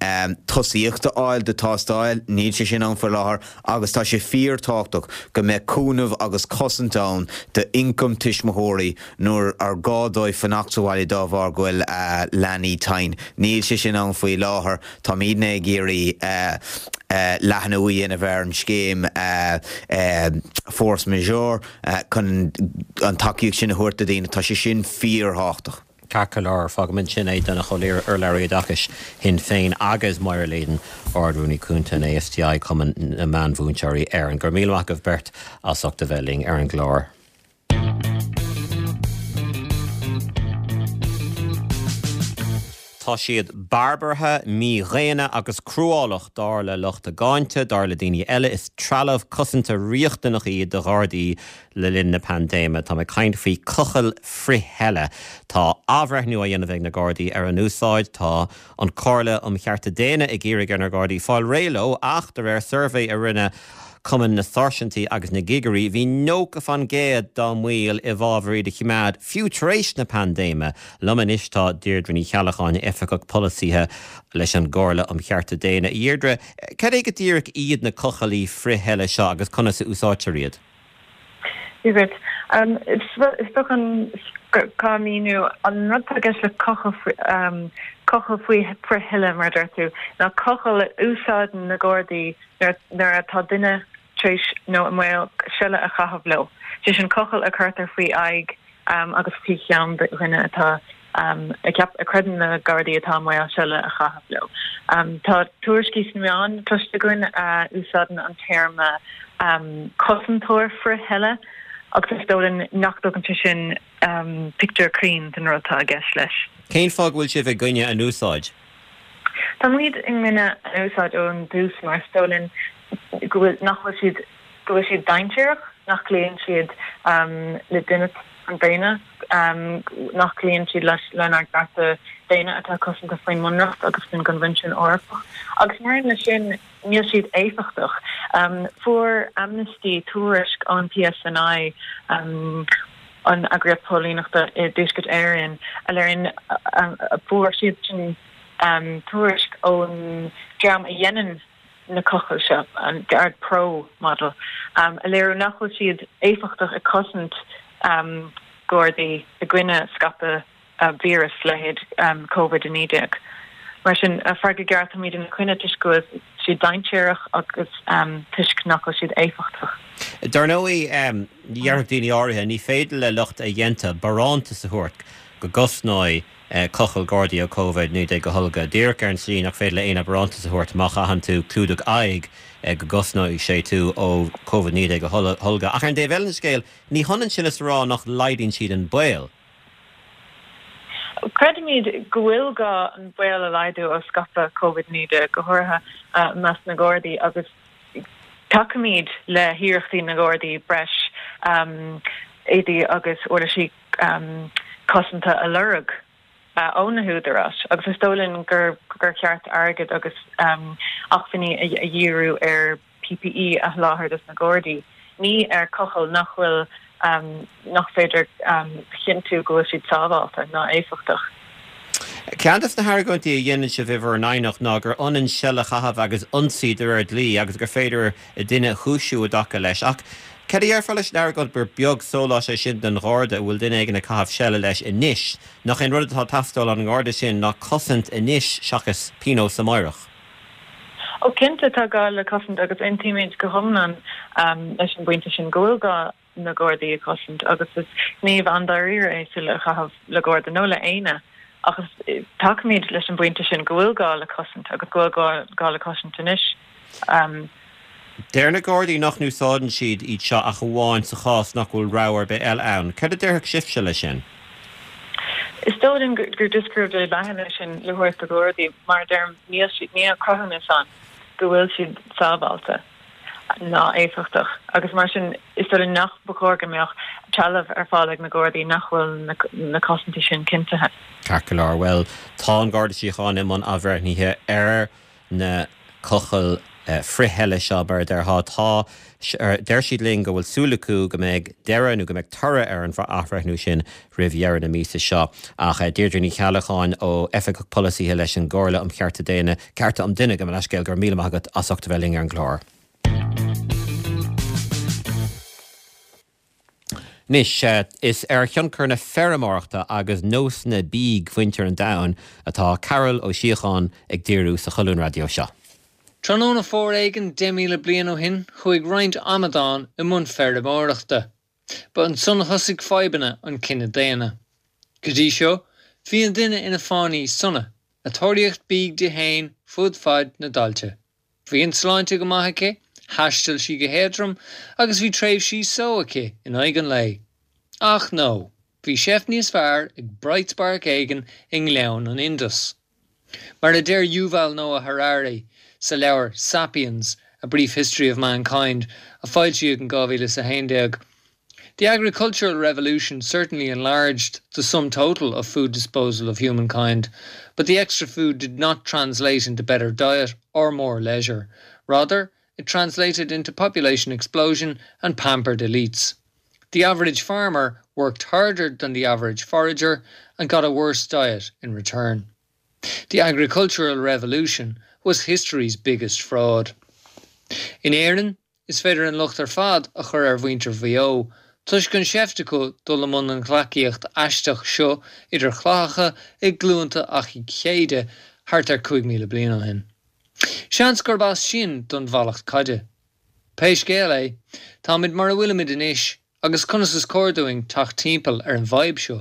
tosaíocht a fháil do tástáil. Níl sé sin ann faoi láthair agus tá sé fíorthábhachtach go mbeadh cúnamh agus cosaint ann d'ioncam tuismitheoirí nuair ar gá dóibh fanacht sa bhaile dá bharr go bhfuil leanaí tinn. Níl sé sin ann faoi láthair. Táimidne ag iarraidh leathnú a dhéanamh ar an scéim force majeure chun an tacaíocht sin a thabhairt do dhaoine. Tá sé sin fíorthábhachtach. Ceart go leor, fágfaimid ansin é, Donncha Ó Laoire, urlabhraí oideachais Shinn Féin agus Máire Leyden, Ard-Rúnaí Cúnta an ASTI, Cumann na Meánmhúinteoirí Éireann. Go raibh míle maith agaibh beirt as ucht a bheith linn ar an gclár. Tá siad barbartha, mídhaonna agus cruálach, dar le lucht a gcáinte, dar le daoine eile, is trealamh cosanta riachtanach iad do Ghardaí le linn na paindéime. Tá mé ag caint faoi cochaill frith-theile. Tá athbhreithniú á dhéanamh ag na Gardaí ar a n-úsáid. Tá an Chomhairle um Chearta Daonna ag iarraidh ar na Gardaí fáil réidh leo ach, de réir suirbhé a rinne Cumann na Sáirsintí agus na gCigirí, bhí 90 fan gcéad dá mbaill i bhfabhar iad a choimeád, fiú tar éis na paindéime. Liom anois tá Deirdre Ní Cheallacháin, Oifigeach Polasaithe leis an gComhairle um Chearta Daonna. A Dheirdre, cad é go díreach iad na cochaillí frith-theile seo agus conas a úsáidtear iad? Dia dhuit. Is dócha an gá míniú an rud atá i gceist le cochall cochall faoi frith-sheile mar a deir tú, ná cochall a úsáideann na Gardaí nuair atá duine tar éis nó i mbaol seile a chaitheamh leo. Sé sin cochall a cuirtear faoi aghaidh agus faoi cheann dhuine atá a cheap, a chreideann na Gardaí atá i mbaol seile a chaitheamh leo. Tá tuairiscí sna meáin cloiste againn a úsáideann an téarma cosantóir frith-sheile agus is dóigh linn nach dtugann sé sin pictiúr cruinn den rud atá i gceist leis. Cén fáth go bhfuil sibh i gcoinne a n-úsáid? Tá muid i gcoinne a n-úsáid ón dtús mar is dóigh linn go bhfuil, nach bhfuil siad, go bhfuil siad dainséarach, nach gcloíonn siad le dínit an daonna, nach gcloíonn siad leis lenár gcearta daonna atá cosanta faoin mBunreacht agus faoin gCoinbhinsiún Eorpach. Agus mar aon leis sin, níl siad éifeachtach. Fuair Amnesty tuairisc ón PSNI, an eagraíocht póilíneachta i dTuaisceart Éireann, a léiríonn, fuair siad sin tuairisc ón dream a dhéanann na cochaill seo, an Guard Pro model, a léiriú nach bhfuil siad éifeachtach ag cosaint Gardaí i gcoinne scaipeadh víreas leithéid Covid-19. Mar sin, freagra gearr, táimid ina coinne toisc go bhfuil siad dainséarach agus toisc nach bhfuil siad éifeachtach. Dar ndóigh, déarfadh daoine áirithe, ní féidir le lucht a dhéanta barántas a thabhairt go gcosnóidh cochall Gardaí ó Covid-19 a tholgadh, díreach ar an tslí nach féidir le éinne barántas a thabhairt má chaitheann tú clúdach aghaidh go gcosnóidh sé tú ó Covid-19 a tholgadh. Ach ar an dtaobh eile den scéal, ní hionann sin is a rá nach laghdaíonn siad an baol. Creidimid go bhfuil gá an baol a laghdú ó scaipeadh Covid-19, go háirithe i measc na nGardaí, agus tacaímid le hiarrachtaí na nGardaí breis éadaí agus uirlisí cosanta a lorg ó na húdaráis agus is dóigh linn gur cheart airgead agus acmhainní a dhíriú ar PPE a sholáthar dos na Gardaí, ní ar cochaill nach bhfuil, nach féidir a chinntiú go bhfuil siad sábháilte ná éifeachtach. Ceann de na hargóintí a dhéanann sibh i bhur n-aighneacht ná gur ionann seile a chaitheamh agus ionsaí de réir dlí agus gur féidir duine a chúisiú i dtaca leis. Ach cad a déarfá leis an argóint gur beag sólás é sin don Gharda a bhfuil duine éigin ag caitheamh seile leis anois? Nach é an rud atá ag teastáil ón nGarda sin ná cosaint anois seachas pionós amáireach? Ó cinnte tá gá le cosaint agus aontaímid go hiomlán leis an bpointe sin go bhfuil gá na Gardaí a chosaint agus is gníomh an-dáiríre é seile a chaitheamh le Garda nó le éinne ach tacaímid leis an bpointe sin go bhfuil gá le cosaint agus go bhfuil gá le cosaint anois. Deir na Gardaí nach n-úsáideann siad iad seo ach amháin sa chás nach bhfuil rogha ar bith eile ann. Cad a déarfadh sibhse leis sin? Is dóigh linn gur deisceoireacht leathan é sin le thabhairt do Ghardaí. Mar a deirim, níl siad, níl cruthúnas ann go bhfuil siad sábháilte ná éifeachtach agus mar sin is dóigh linn nach ba chóir go mbeadh trealamh ar fáil ag na Gardaí nach bhfuil na cosaintí sin cinntithe. Ceart go leor. Bhuel, tá an Garda Síochána i mbun athbhreithnithe ar na cochaill frith-sheile seo, mar a déarfá. Tá, deir siad linn go bhfuil súil acu go mbeidh deireadh nó go mbeidh toradh ar an athbhreithniú sin roimh dheireadh na míosa seo. Ach Deirdre Ní Cheallacháin ó Oifigeach Polasaithe leis an gComhairle um Chearta Daonna, Cearta an Duine, gabh mo leithscéal, go raibh míle maith agat as ucht a bheith linn ar an gclár. Anois, is ar thionchar na feirmeoireachta agus nósanna bídh mhuintir an domhain atá Carol Ó Síocháin ag díriú sa cholún raidió seo. Tráthnóna fómhair éigin 10,000 bliain ó shin, chuaigh roinnt amadán i mbun feirmeoireachta. Ba ansan a thosaigh fadhbanna an chine daonna. Go dtí seo, bhí an duine ina fánaí sona, ag tóraíocht bídh di fhéin fud fad na dtailte. Bhí an tsláinte go maith aici, thaistil sí go héadrom agus bhí tréimhsí só aici in aghaidh an lae. Ach no, bhí seift níos fearr ag bright spark éigin i ngleann an Indus. Mar a deir Yuval Noah Harari sa leabhar Sapiens, A Brief History of Mankind, a foilsíodh in 2011, The agricultural revolution certainly enlarged the sum total of food disposal of humankind, but the extra food did not translate into better diet or more leisure. Rather, it translated into population explosion and pampered elites. The average farmer worked harder than the average forager and got a worse diet in return. The agricultural revolution was history's biggest fraud. In Éirinn, Is féidir an locht ar fad a chur ar mhuintir Mhaigh Eo. Toisc an seift acu dul i mbun an ghleacaíocht aisteach seo idir chlathacha i gcluanta Achaidh Chéide thart ar 5,000 bliain ó shin. Seans gurb as sin don mhallacht caide. Pé scéal é, táimid mar a bhfuilimid anois agus conas is cóir dúinn teacht timpeall ar an bhfadhb seo?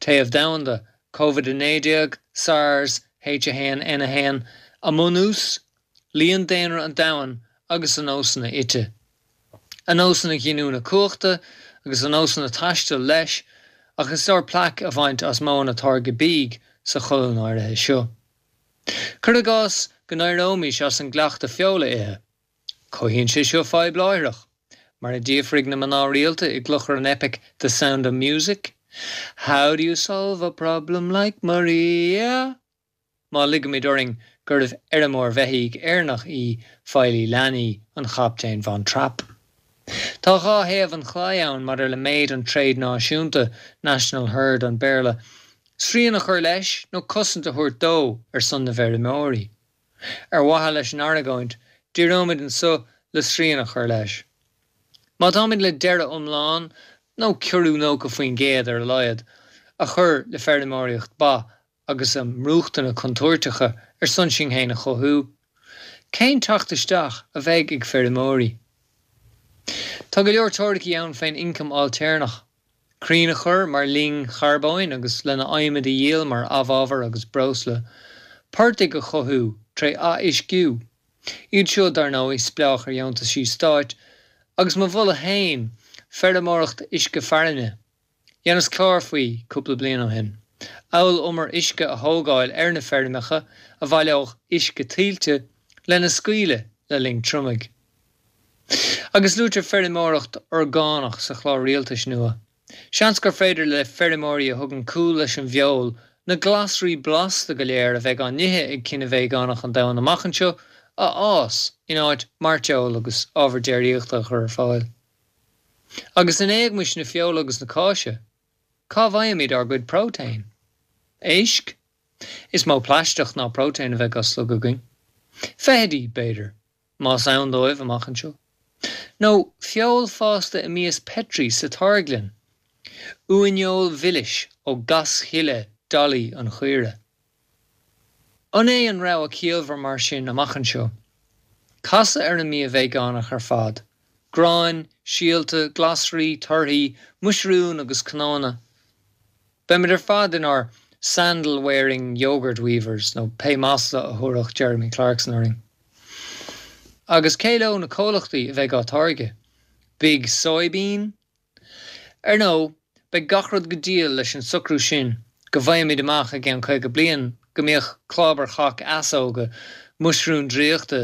Téamh domhanda, Covid-19, SARS, H1N1, a mbunús, líon daonra an domhain agus a nósanna ite. A nósanna giniúna cumhachta agus a nósanna taistil leis, ach is leor plaic a bhaint as modhanna táirge bídh sa cholún áirithe seo. Cuir i gcás go n-éireoimis as an gcleachtadh feoil a ithe. Cothaíonn sé seo fadhb láithreach. Mar a d'fhiafraigh na mná rialta i gclochar an eipic The Sound of Music, How do you solve a problem like Maria? Má ligimid orainn gurbh fheirmeoir bheithígh Éireannach í feighlí leanaí an Chaptaein Von Trapp. Tá dhá thaobh an chlaí ann maidir le méid an tréid náisiúnta, national herd an Bhéarla, srian a chur leis nó cosaint a thabhairt dó ar son na bhfeirmeoirí. Ar mhaithe leis an argóint, díreoimid anso le srian a chur leis. Má táimid le deireadh iomlán, nó ciorrú 90% ar a laghad, a chur le feirmeoireacht ba agus a mbrúchtana contúirteacha ar son sinn féin a chothú, cén teacht isteach a bheidh ag feirmeoirí? Tá go leor teoiricí ann fén ioncam ailtéarnach. Crainn a chur mar loing charbóin agus lena adhmad a dhíol mar amhábhar agus breosla. Portaigh a chothú tré ath-uisciú. Iad seo, dar ndóigh, spleách ar dheontaisí stáit. Agus mo mholadh fhéin, feirmeoireacht uisce fearainne. Dheineas clár faoi cúpla bliain ó shin. Amhail umar uisce a thógáil ar na feirmeacha a bhaileodh uisce tuilte lena scaoileadh le linn triomaigh. Agus luaitear feirmeoireacht orgánach sa chlár rialtais nua. Seans gur féidir le feirmeoirí a thugann cúl leis an bhfeoil na glasraí blasta go léir a bheidh á n-ithe ag cine veigeánach an domhain amach anseo a fhás in áit mairteoil agus ábhar déiríochta a chur ar fáil. Agus in éagmais na feola agus na cáise, cá bhfaighimid ár gcuid próitéin? Éisc? Is mó plaisteach ná próitéin a bheidh á slogadh againn. Feithidí, b'fhéidir. más ann dóibh, amach anseo. Nó feoil fásta i mias Petri sa táirgleann. Uaineoil mhilis ó gaschille Dolly an chaoire. An é an rogha ciallmhar mar sin amach anseo, casadh ar an mbia veigeánach ar fad, gráin, síolta, glasraí, torthaí, muisiriún agus cnónna? Beimid ar fad inár sandal-wearing yoghurt weavers nó pé masla a thabharfadh Jeremy Clarkson orainn. Agus cé leo na comhlachtaí a bheidh á táirgeadh? Big Soybean? Ar ndóigh, beidh gach rud go diail leis an socrú sin go bhfaighimid amach i gceann 50 bliain go mbíodh clábar chac easóga, muisiriún draíochta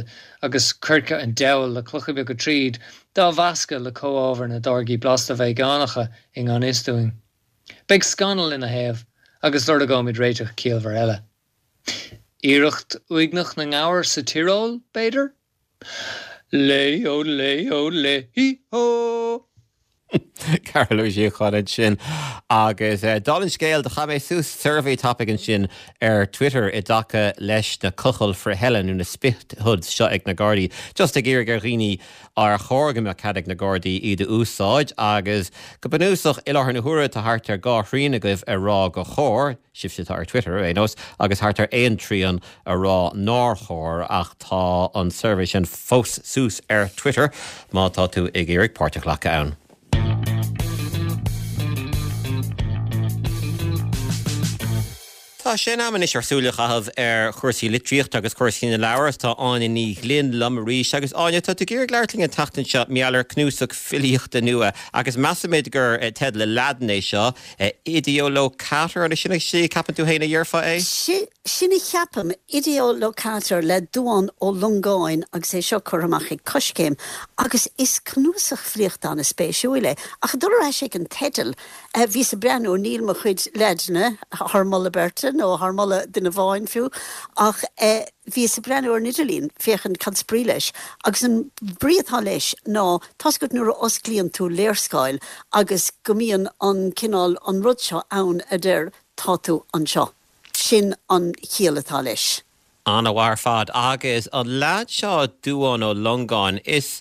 agus coirce an diabhail le clocha beaga tríd, dá mheascadh le comhábhair na dtáirgí blasta veigeánacha i ngan fhios dúinn. Beidh scannal ina thaobh agus lorgóimid réiteach ciallmhar eile. Iarracht uaigneach na ngabhar sa Tioróil, b'fhéidir? Lé ó lé ó lé hí hó! Cearbhall Ó Síocháin ansin. Agus dála an scéil, do chaith mé suas suirbhé tapaidh ansin ar Twitter i dtaca leis na cochaill frith-eile nó na spit hoods seo ag na Gardaí, just ag iarraidh ar dhaoine Ar chóir go mbeadh cead ag na Gardaí iad a úsáid? Agus go bunúsach, i láthair na huaire tá thart ar 2 thrian agaibh ag rá gur chóir, sibhse atá ar Twitter ar aon nós, agus thart ar aon trian ag rá nár chóir, ach tá an suirbhé sin fós suas ar Twitter má tá tú ag iarraidh páirt a ghlacadh ann. Tá sé in am anois ár súil a chaitheamh ar chúrsaí litríochta agus cúrsaí na leabhar. Tá Áine Ní Ghlinn liom arís. Agus Áine, tá tú ag iarraidh labhairt linn an tseachtain seo mar gheall ar cnuasach filíochta nua agus measaimid gur teideal i Laidin é seo, Ideolocator, an sin é a cheapann tú féin a dhéarfá é? Sin a cheapaim, Ideolocator le Dubhán Ó Longáin agus é seo curtha amach ag Coiscéim agus is cnuasach filíochta an-spéisiúil é. Ach ag dul ar ais ag an teideal, Bhíos ag breathnú, níl mo chuid Laidine thar moladh beirte nó thar moladh duine amháin fiú, ach bhíos ag breathnú ar an idirlíon féachaint cad is brí leis agus an brí atá leis ná, tá's agat nuair a osclaíonn tú léarscáil agus go mbíonn an cineál, an rud seo ann a deir tá tú anseo. Sin an chiall atá leis. An-mhaith ar fad. Agus an leaid seo Dubhán Ó Longáin, is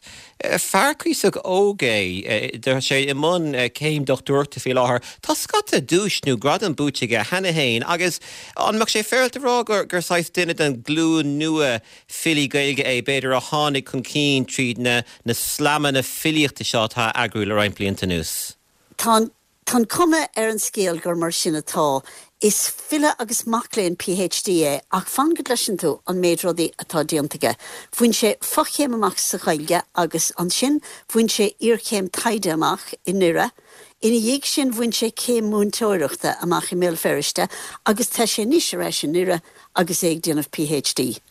fear cuíosach óg é. Tá sé i mbun céim dochtúireachta faoi láthair. Tá scata duais nó gradam buaite aige cheana féin agus an mbeadh sé féaráilte a rá gur saghas duine den ghlúin nua filí Gaeilge é, b'fhéidir, a tháinig chun cinn tríd na na slamanna filíochta seo atá á eagrú le roinnt blianta anuas? Tá an Tá an cuma ar an scéal gur mar sin atá. Is file agus mac léinn PhD é ach fan go gcloiseann tú an méid rudaí atá déanta aige. Bhain sé fochéim amach sa Ghaeilge agus ansin bhain sé iarchéim taighde amach i nDoire. Ina dhiaidh sin bhain sé céim múinteoireachta amach i mBéal Feirste agus tá sé anois ar ais i nDoire agus é ag déanamh PhD.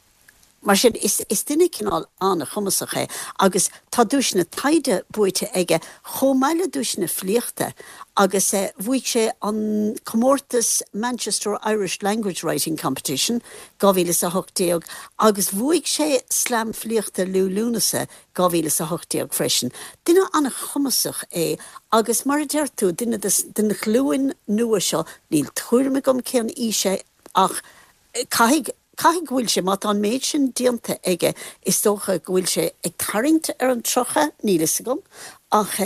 Mar sin, is duine cineál an-chumasach é agus tá duaiseanna taighde buaite aige chomh maith le duaiseanna filíochta agus bhuaigh sé an comórtas Manchester Irish Language Writing Competition 2018 agus bhuaigh sé Slam Filíochta Liú Lúnasa 2018 freisin. Duine an-chumasach é agus mar a deir tú, duine den ghlúin nua seo, níl tuairim agam cén aois é ach caithfidh Caithfidh go bhfuil sé, má tá an méid sin déanta aige, is dócha go bhfuil sé ag tarraingt ar an 30, níl fhios agam, ach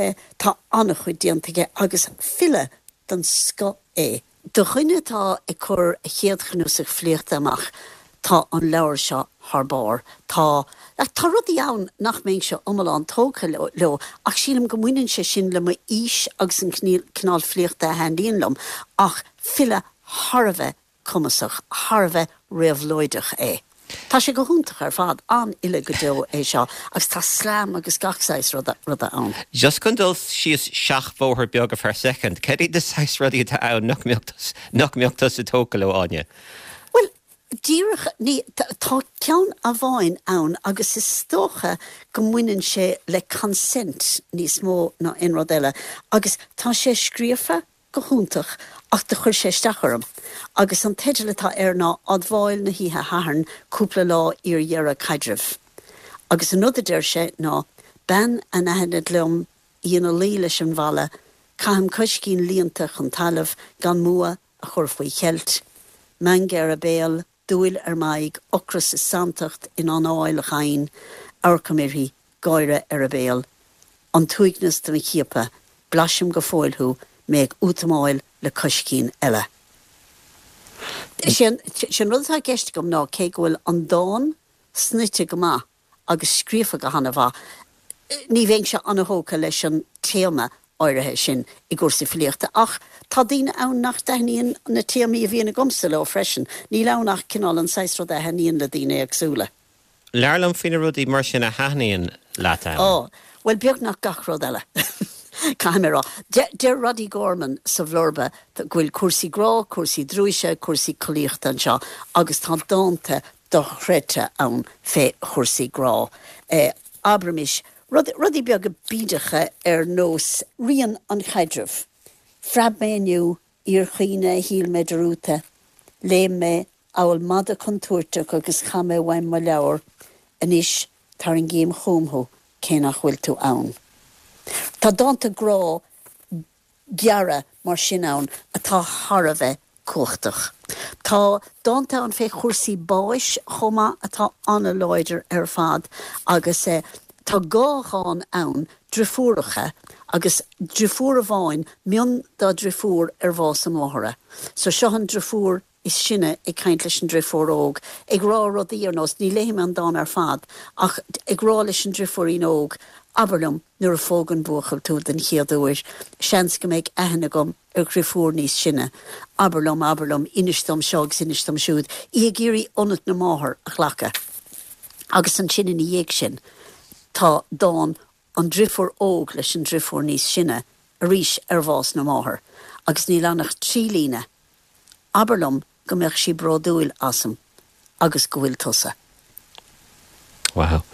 tá an-chuid déanta aige agus file den scoth é. Do dhuine atá ag cur a chéad chnuasach filíochta amach, tá an leabhar seo thar barr. Tá, tá rudaí ann nach mbeinnse iomlán tógtha leo ach sílim go mbaineann sé sin le m'aois agus an cineál filíochta a thaitníonn liom, ach file thar a bheith cumasach, thar a bheith réabhlóideach é. Tá sé go hiontach ar fad, an-fhile go deo é seo agus tá slam agus gach saghas ruda ann. Just chun dul síos seachbhóthar beag ar feadh soicind, cad iad na saghas rudaí atá ann nach mbeadh nach mbeadh tusa tógtha leo, Áine? Bhuel, díreach, ní, tá ceann amháin ann agus is dócha go mbaineann sé le consent níos mó ná aon rud eile agus tá sé scríofa go hiontach ach do chuir sé isteach orm. Agus an teideal atá air ná Admháil na hOíche Shathairn cúpla lá iar dheireadh caidrimh. Agus an rud a deir sé ná Bean anaithnid liom, í ina luí leis an bhalla, caithim coiscín líonta chun talaimh gan m'fhuath a chur faoi cheilt, meangadh ar a béal, dúil ar m'aghaidh, ocras is santacht in anáil dhomhain, amharcaim uirthi, gáire ar a béal, an t-uaigneas do mo chiapadh, blaisim go fóill thú, mé ag útamáil le coiscín eile. Is é an rud atá i gceist agam ná cé go bhfuil an dán snoite go maith, agus scríofa go hana-mhaith. Ní bheinnse ana-thógtha leis an téama áirithe sin i gcúrsaí filíochta ach tá daoine ann nach dtaitníonn na téamaí a bhíonn agamsa leo freisin. Níl ann ach cineál an saghas ruda a thaitníonn le daoine éagsúla. Labhair liom faoi na rudaí mar sin a thaitníonn leat ann. Ó, bhuel, beagnach gach rud eile, caithfidh mé a rá. Deir Roddy Gorman sa bhlurba go bhfuil cúrsaí grá, cúrsaí drúise, cúrsaí collaíochta anseo agus tá dánta dochreidte ann fé chúrsaí grá. Abraimis, rudaí beaga bídeacha ar nós rian an chaidrimh. Phreab mé inniu, iarchaoineadh a shíl mé dearúdta. Léim mé amhail madadh contúirteach agus chaith mé uaim mo leabhar. Anois tarraingím chugam thú cé nach bhfuil tú ann. Tá dánta grá gearra mar sin ann atá thar a bheith cumhachtach. Tá dánta ann fé chúrsaí báis chomh maith atá an-láidir ar fad agus tá dhá dhán ann, driofúracha, agus driofúr amháin, mionn dá driofúr ar bhás a máthara. So seo an driofúr is sine ag caint leis an driofúr óg, ag rá rudaí ar nós, ní léifidh mé an dán ar fad, ach ag rá leis an driofúirín óg, abair liom nuair a phóg an buachaill tú den chéad uair, seans go mbeidh aithne agam ar dhriofúr níos sine, abair liom, abair liom, inis dom seo agus inis dom siúd, í ag iarraidh ionad na máthar a ghlacadh. Agus ansin ina dhiaidh sin tá dán an driofúr óg leis an driofúr níos sine, arís ar bhás na máthar, agus níl ann ach trí líne, Abair liom go mbeadh sí bródúil asam agus go bhfuil tusa. Wow.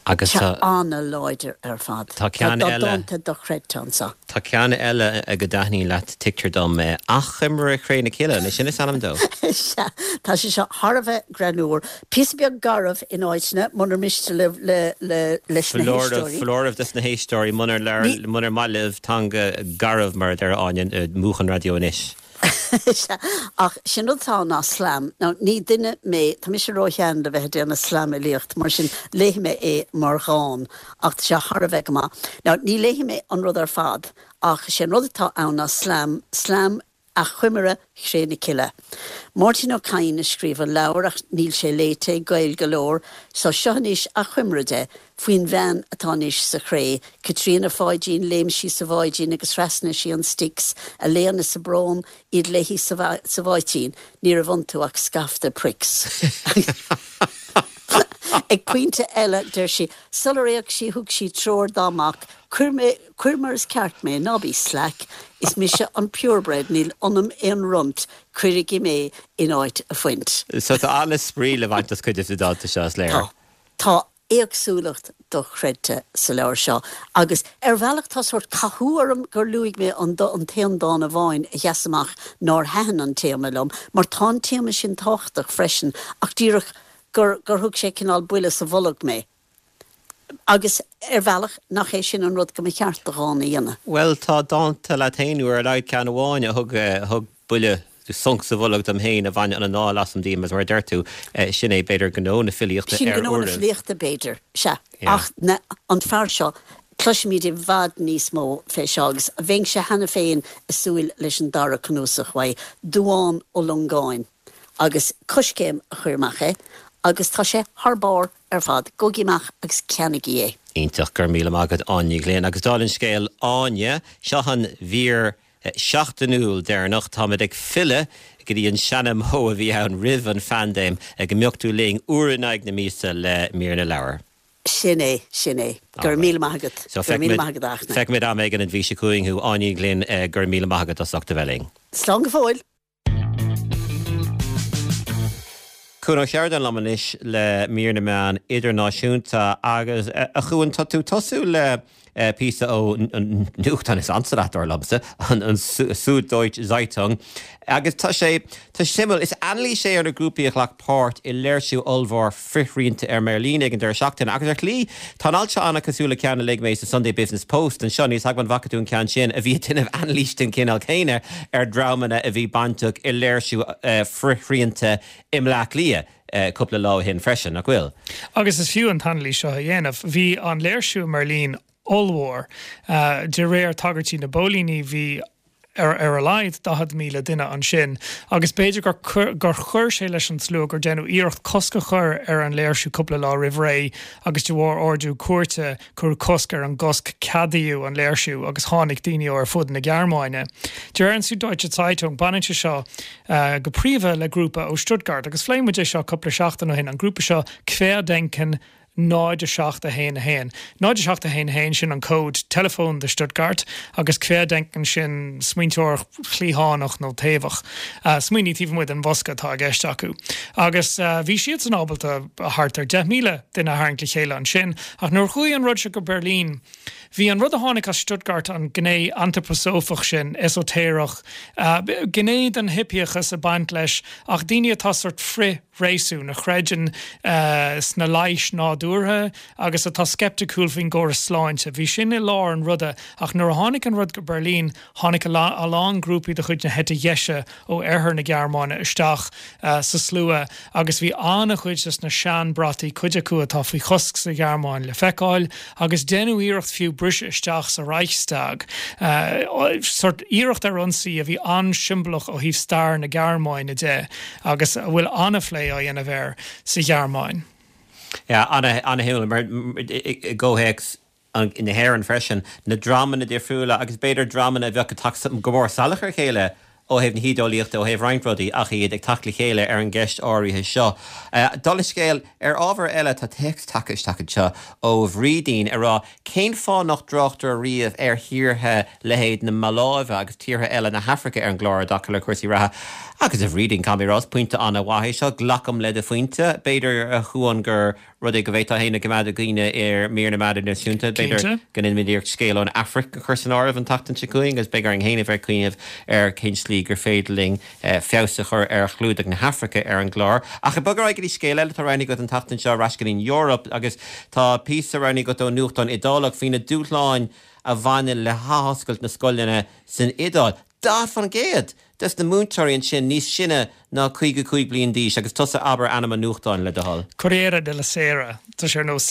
Agus tá. An-láidir ar fad. Tá ceann eile. Tá dánta dochreidte anseo. Tá ceann eile go dtaitníonn leat, tuigtear dom, Achoimre Chré na Cille, an é sin is ainm dó? Sea, tá sé seo thar a bheith greannmhar. Píosa beag garbh in áiteanna, munar miste libh leis na héisteoirí. Foláireamh dos na héisteoirí, munar maith libh teanga garbh, mar a deir Áine, múch an raidió anois. Sea, ach sé'n rud atá ann ná slam. Now, ní duine mé, tá mise ró-shean le bheith ag déanamh slamfhilíocht, mar sin léifidh mé é mar dhán, ach tá sé thar a bheith go maith. Now, ní léifidh mé an rud ar fad, ach sé'n rud atá ann ná slam, slam Achoimre Chré na Cille. Máirtín Ó Cadhain a scríobh an leabhar ach níl sé léite ag Gaeil go leor so seo anois achoimre de faoin bhean atá anois sa chré, Caitríona Pháidín, Léim sí sa bháidín agus thrasnaigh sí an Styx, a léan is a brón, iad léi sa bháitín, ní raibh iontu ach scaifte pricks. Ag pointe eile deir sí, sular éag sí thug sí treoir dá mac, cuir mé, Cuir mar is ceart mé, ná bí slack, is mise an purebred, níl ionam aon runt, cuirigí mé in áit a phuint. So tá an-spraoi le baint as cuid de na dánta seo, is léir. Tá. Tá éagsúlacht dochreidte sa leabhar seo agus ar bhealach tá sórt cathú orm gur luaigh mé an an t-aon dán amháin a sheas amach nár thaitin an téama liom mar tá an téama sin tábhachtach freisin ach díreach gur gur thug sé cineál buille sa bholg mé. Agus ar bhealach, nach é sin an rud go mba cheart do dhán a dhéanamh? Bhuel, tá dánta leat féin, nó ar a laghad ceann amháin, a thug, a thug buille, sonc sa bholg dom féin, a bhain an anáil asam díom, agus mar a deir tú, sin é, b'fhéidir, gnó na filíochta Sin ar gnó na uairibh. filíochta, b'fhéidir, sea. Yeah. Ach na, an fear seo, cloisfimid i bhfad níos mó fé seo, agus bheinnse cheana féin ag súil leis an dara cnuasach uaidh, Dubhán Ó Longáin. Agus Coiscéim a chuir amach é, agus tá sé thar barr ar fad. Gabhaigí amach agus ceannaigí é. Iontach, go raibh míle maith agat Áine Ní Ghlinn. Agus dála an scéil Áine, seo an mhír sheachtainiúil deireanach. Táimid ag filleadh go dtí an seana-mhodh a bhí ann roimh an phaindéim, go mbeadh tú linn uair in aghaidh na míosa le mír na leabhar. Sin é, sin é. Go raibh míle maith agat. Go raibh míle maith agat, a Fhachtna. Feicfimid am éigin an mhí seo chugainn thú, Áine Ní Ghlinn, go raibh míle maith agat as ucht a bheith linn. Slán go fóill. Cuan Ó Seireadáin liom anois le mír na meán idirnáisiúnta agus, a Chuain, tá tú ag tosú le píosa ó an nuachtán is ansa leat, dar liomsa, an Süddeutsche Zeitung agus tá sé, tá sé suimiúil. Is anailís é ar na grúpaí a ghlac páirt i léirsiú ollmhór frithshrianta i mBeirlín ag an deireadh seachtaine agus ar shlí tá an alt seo an-chosúil le ceann a léigh mé sa Sunday Business Post anseo, níl 's agam an bhfaca tú an ceann sin, a bhí ag déanamh anailís den chineál céanna ar dhreamanna a bhí bainteach i léirsiú frithshrianta i mBleá Cliath cúpla lá ó shin freisin, nach bhfuil? Agus is fiú an t-anailís seo a dhéanamh. Bhí an léirsiú i mBeirlín ollmhór. De réir tagairtí na bpóilíní bhí ar ar a laghad 40,000 duine ansin agus b'fhéidir gur gur chuir sé leis an slua gur déanadh iarracht cosc a chur ar an léirsiú cúpla lá roimh ré agus de bharr ordú cúirte cuireadh cosc ar an gcosc ceadaíodh an léirsiú agus tháinig daoine ó ar fud na Gearmáine. De réir an Süddeutsche Zeitung baineann sé seo go príomha le grúpa ó Stuttgart agus phléigh muid é seo cúpla seachtain ó shin, an grúpa seo Querdenken 0 7 1 1. 0 7 1 1, sin an cód teileafóin do Stuttgart, agus Querdenken, sin smaointeoireacht chliathánach nó taobhach. Smaoineamh taobh amuigh den bhosca atá i gceist acu. Agus bhí siadsan ábalta thart ar 10,000 duine a tharraingt le chéile ansin, ach nuair a chuaigh an rud seo go Beirlín, bhí an rud a tháinig as Stuttgart, an gné antraposófach sin, esóitéireach, gné den hipíochas ag baint leis, ach daoine atá sort frith. réasún, a chreideann sna leighis nádúrtha agus atá sceipticiúil faoin gcóras sláinte. Bhí sin i lár an ruda ach nuair a tháinig an rud go Beirlín, tháinig a lán grúpaí de chuid na heite dheise ó oirthear na Gearmáine isteach sa slua agus bhí an-chuid des na seanbhrataí, cuid acu atá faoi chosc sa Ghearmáin, le feiceáil agus deineadh iarracht fiú briseadh isteach sa Reichstag. Sort iarracht ar ionsaí a bhí an-siombalach ó thaobh stair na Gearmáine de. agus a bhfuil an-phlé á dhéanamh air sa Ghearmáin. Yeah, ana-shuimiúil mar i gcomhthéacs na hÉireann freisin, na dreamanna difriúla agus b'fhéidir dreamanna a bheadh ag teacht go mór salach ar a chéile ó thaobh na hídeolaíochta, ó thaobh roinnt rudaí ach iad ag teacht le chéile ar an gceist áirithe seo. Dála an scéil, ar ábhar eile, tá téacs tagtha isteach anseo ó Bhrídín ag rá Cén fáth nach dtráchtar riamh ar thíortha leithéid na Maláive agus tíortha eile na hAfraice ar an gclár i dtaca le cúrsaí reatha? Agus a Bhrídín, caithfidh mé a rá, is pointe an-mhaith é seo. Glacaim le do phointe. B'fhéidir, a Chuain, gur rud é go bhféadfá féin a choimeád i gcuimhne ar mír na meán idirnáisiúnta. B'fhéidir go ndéanfaimid iarracht scéal ón Afraic a chur san áireamh an tseachtain seo chugainn agus beidh orainn féin a bheith ag cuimhneamh ar cén tslí gur féidir linn feabhas a chur ar chlúdach na hAfraice ar an gclár. Ach ag bogadh ar aghaidh go dtí scéal eile atá roghnaithe agat an tseachtain seo, ar ais go dtí an Eoraip agus tá píosa roghnaithe agat ó nuachtán Iodálach faoi na dúshláin a bhaineann le hathoscailt na scoileanna san Iodáil. 40% des na múinteoirí ansin níos sine ná 55 bliain d'aois agus tusa abair ainm an nuachtáin le do thoil. Corriere della Sera, tá sé ar nós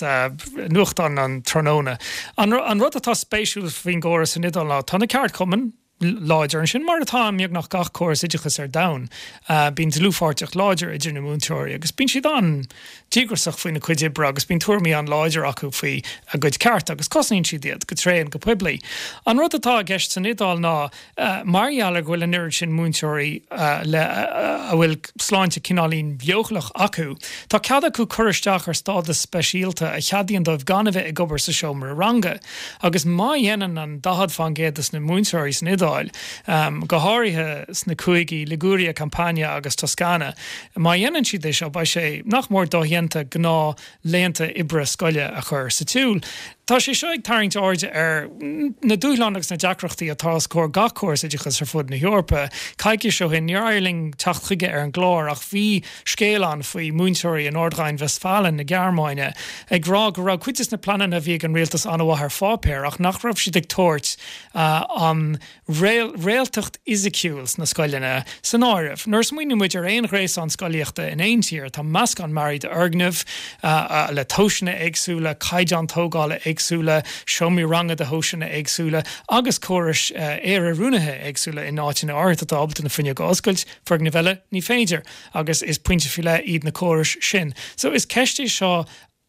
nuachtán an tráthnóna. An rud atá spéisiúil faoin gcóras san Iodáil ná tá na ceardchumainn láidir ansin, mar atá i mbeagnach gach córas oideachais ar domhan. Bíonn dlúthpháirtíocht láidir idir na múinteoirí agus bíonn siad an-díograiseach faoina gcuid oibre agus bíonn tuairimí an-láidir acu faoi a gcuid cearta agus cosnaíonn siad iad go tréan go poiblí. An rud atá i gceist san Iodáil ná Mar gheall ar go bhfuil an oiread sin múinteoirí le a bhfuil sláinte cineáilín leochaileach acu, tá cead acu cur isteach ar stádas speisialta a cheadaíonn dóibh gan a bheith ag obair sa seomra ranga. Agus má dhéanann an 40% des na múinteoirí san Iodáil, go háirithe sna cúigí Liguria, Campania agus Toscana, má dhéanann siad é seo beidh sé nach mór dodhéanta gnáth laethanta oibre scoile a chur sa tsiúl. Tá sé seo ag tarraingt airde ar na dúshláin agus na deacrachtaí atá os comhair gach córas oideachais ar fud na hEorpa. Coicís ó shin, níor éirigh linn teacht chuige ar an gclár ach bhí scéal ann faoi mhúinteoirí in Nordrhein-Westfalen na Gearmáine ag rá go raibh cuid de na pleananna a bhí ag an rialtas an-mhaith ar pháipéar ach nach raibh siad ag tabhairt an réaltacht fhisiciúil sna scoileanna san áireamh. Nuair a smaoiníonn muid ar aon ghréasán scolaíochta in aon tír, tá meascán mearaí d'fhoirgnimh le tomhaiseanna éagsúla, caighdeáin tógála éagsúla, seomraí ranga de thomhaiseanna éagsúla agus córais aer-oiriúnaithe éagsúla in áiteanna áirithe atá ábalta na fuinneoga a oscailt, foirgnimh eile ní féidir agus is pointe faoi leith iad na córais sin. So is ceist é seo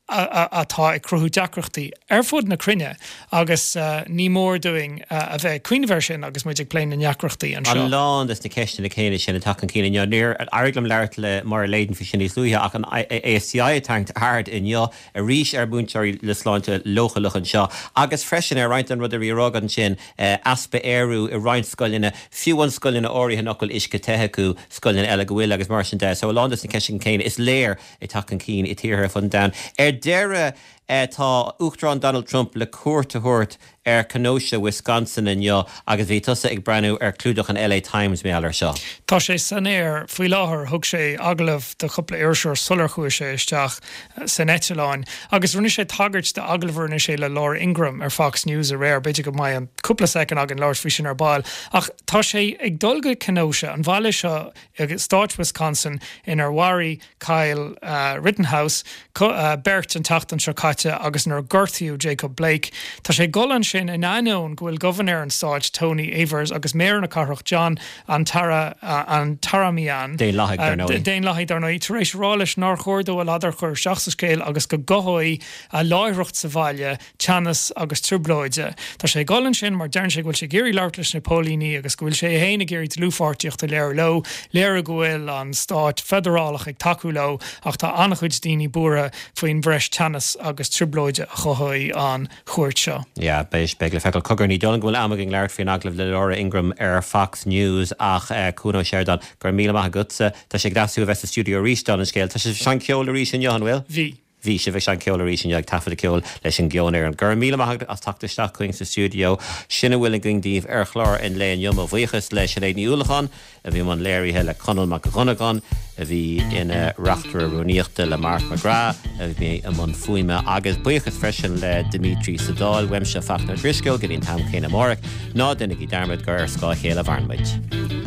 atá ag cruthú deacrachtaí ar fud na cruinne agus ní mór dúinn a bheith ag cuimhneamh air sin agus muid ag plé na ndeacrachtaí anseo. A lán des na ceisteanna céanna sin ag teacht chun cinn inniu. Níor éirigh liom labhairt le Máire Leyden faoi sin níos luaithe ach an ASTI ag tarraingt aird inniu arís ar mhúinteoirí le sláinte leochaileach anseo agus freisin ar roinnt den rud a bhí á rá agat ansin, easpa aerú i roinnt scoileanna, fiú amháin scoileanna áirithe nach bhfuil uisce te acu, scoileanna eile go bhfuil agus mar sin de. So a lán des na ceisteanna céanna, is léir ag teacht chun cinn i tíortha ar fud an domhain. Ar deireadh, tá Uachtarán Donald Trump le cuairt a thabhairt ar Kenosha, Wisconsin inniu agus bhí tusa ag breathnú ar chlúdach an LA Times mar gheall air seo. Tá sé san aer faoi láthair. Thug sé agallamh do chúpla iriseoir sular chuaigh sé isteach san eitleán agus rinne sé tagairt d'agallamh a rinne sé le Laura Ingraham ar Fox News aréir. B'fhéidir go mbeidh an cúpla soicind againn labhairt faoi sin ar ball. Ach tá sé ag dul go Kenosha, an bhaile seo i stáit Wisconsin inar mharaigh Kyle Rittenhouse beirt an tseachtain seo caite agus inar gortaíodh Jacob Blake. Tá sé ag dul ansin in ainneoin go bhfuil gobharnóir an stáit Tony Evers agus méara na cathrach John Antaramian, Daonlathaigh, dar ndóigh. Daonlathaigh, dar ndóigh, tar éis a rá leis nár chóir dó a ladar a chur isteach sa scéal agus go gcothóidh a láithreacht sa bhaile teannas agus trioblóide. Tá sé ag dul ansin mar deireann sé go bhfuil sé ag iarraidh labhairt leis na póilíní agus go bhfuil sé féin ag iarraidh dlúthpháirtíocht a léiriú leo, léiriú go bhfuil an stát feidearálach ag tacú leo ach tá an-chuid daoine buartha faoin bhreis teannas agus trioblóide a chothóidh an chuairt seo. Yeah, beidh, beidh le feiceáil. Cogar, ní dóigh liom go bhfuil am againn labhairt faoin agallamh le Laura Ingraham ar Fox News ach Cuan Ó Seireadáin, go raibh míle maith agatsa. Tá sé deas thú a bheith sa stiúideo arís, dála an scéil. Tá sibh ag seinnt ceoil arís inniu, an bhfuil? Bhí. Bhí sibh ag seinnt ceoil arís inniu, ag taifeadadh ceoil leis an gceolfhoireann. Go raibh míle maith agat as teacht isteach chugainn sa stiúideo. Sin a bhfuil againn daoibh ar chlár an lae inniu. Mo bhuíochas le Sinéad Ní Uallacháin, a bhí i mbun léirithe, le Conall Mac Dhonnagáin, a bhí ina reachtaire rúnaíochta, le Mark McGrath, a bhí i mbun fuaime, agus buíochas freisin le Dimitri sa Dáil. Uaimse, Fachtna Ó Drisceoil, go dtí an t-am céanna amárach, ná déanaigí dearmad gur ar scáth a chéile a mhaireann muid.